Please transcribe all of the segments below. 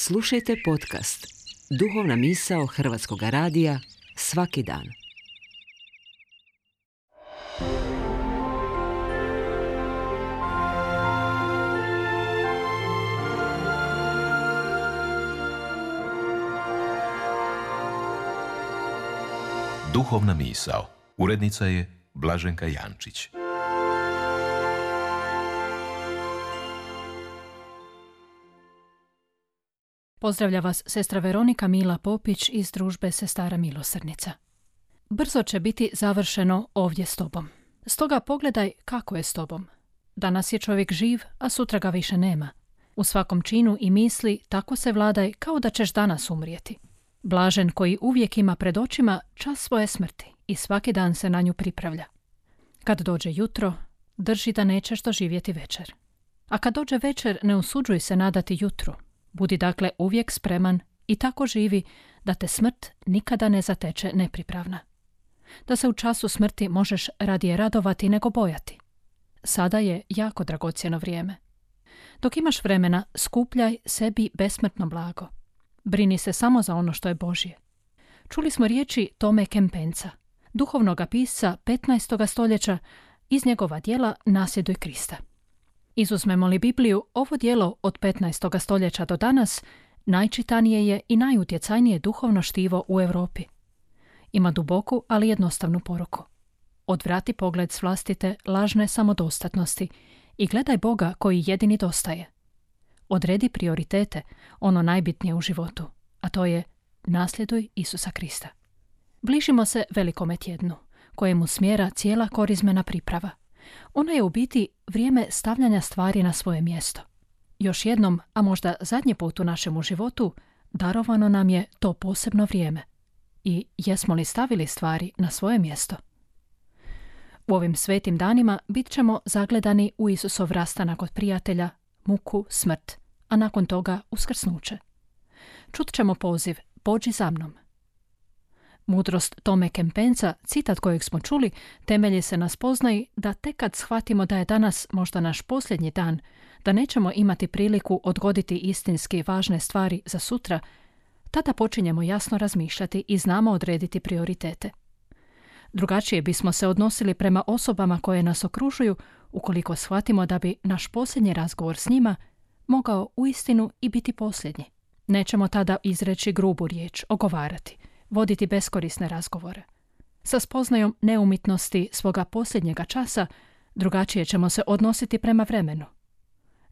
Slušajte podcast Duhovna misao Hrvatskog radija svaki dan. Duhovna misao. Urednica je Blaženka Jančić. Pozdravlja vas sestra Veronika Mila Popić iz družbe Sestara milosrdnica. Brzo će biti završeno ovdje s tobom. Stoga pogledaj kako je s tobom. Danas je čovjek živ, a sutra ga više nema. U svakom činu i misli tako se vladaj kao da ćeš danas umrijeti. Blažen koji uvijek ima pred očima čas svoje smrti i svaki dan se na nju pripravlja. Kad dođe jutro, drži da nećeš doživjeti večer. A kad dođe večer, ne usuđuj se nadati jutru. Budi dakle uvijek spreman i tako živi da te smrt nikada ne zateče nepripravna. Da se u času smrti možeš radije radovati nego bojati. Sada je jako dragocjeno vrijeme. Dok imaš vremena, skupljaj sebi besmrtno blago. Brini se samo za ono što je Božje. Čuli smo riječi Tome Kempensa, duhovnog pisca 15. stoljeća, iz njegova djela Nasljeduj Krista. Izuzmemo li Bibliju, ovo djelo od 15. stoljeća do danas najčitanije je i najutjecajnije duhovno štivo u Europi. Ima duboku, ali jednostavnu poruku. Odvrati pogled s vlastite lažne samodostatnosti i gledaj Boga koji jedini dostaje. Odredi prioritete, ono najbitnije u životu, a to je nasljeduj Isusa Krista. Bližimo se velikome tjednu, kojemu smjera cijela korizmena priprava. Ono je u biti vrijeme stavljanja stvari na svoje mjesto. Još jednom, a možda zadnji put u našemu životu, darovano nam je to posebno vrijeme. I jesmo li stavili stvari na svoje mjesto? U ovim svetim danima bit ćemo zagledani u Isusov rastanak od prijatelja, muku, smrt, a nakon toga uskrsnuće. Čut ćemo poziv, pođi za mnom. Mudrost Tome Kempensa, citat kojeg smo čuli, temelji se na spoznaji da tek kad shvatimo da je danas možda naš posljednji dan, da nećemo imati priliku odgoditi istinski važne stvari za sutra, tada počinjemo jasno razmišljati i znamo odrediti prioritete. Drugačije bismo se odnosili prema osobama koje nas okružuju ukoliko shvatimo da bi naš posljednji razgovor s njima mogao uistinu i biti posljednji. Nećemo tada izreći grubu riječ, ogovarati, voditi beskorisne razgovore. Sa spoznajom neumitnosti svoga posljednjega časa drugačije ćemo se odnositi prema vremenu.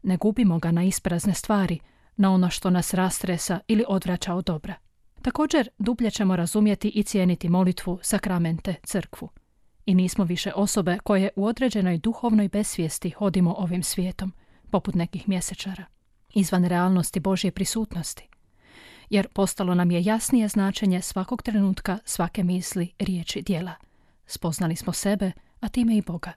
Ne gubimo ga na isprazne stvari, na ono što nas rastresa ili odvraća od dobra. Također, dublje ćemo razumjeti i cijeniti molitvu, sakramente, crkvu. I nismo više osobe koje u određenoj duhovnoj besvijesti hodimo ovim svijetom, poput nekih mjesečara, izvan realnosti Božje prisutnosti. Jer postalo nam je jasnije značenje svakog trenutka, svake misli, riječi, djela. Spoznali smo sebe, a time i Boga.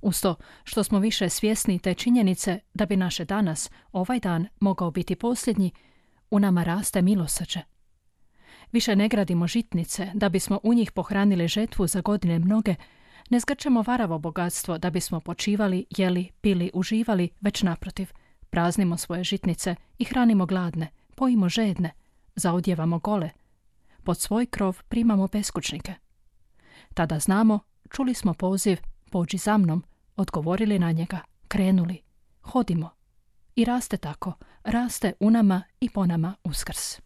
Uz to što smo više svjesni te činjenice da bi naše danas, ovaj dan, mogao biti posljednji, u nama raste milosrđe. Više ne gradimo žitnice da bismo u njih pohranili žetvu za godine mnoge, ne zgrčemo varavo bogatstvo da bismo počivali, jeli, pili, uživali, već naprotiv, praznimo svoje žitnice i hranimo gladne, pojimo žedne, zaodjevamo gole, pod svoj krov primamo beskućnike. Tada znamo, čuli smo poziv, pođi za mnom, odgovorili na njega, krenuli, hodimo. I raste tako, raste u nama i po nama Uskrs.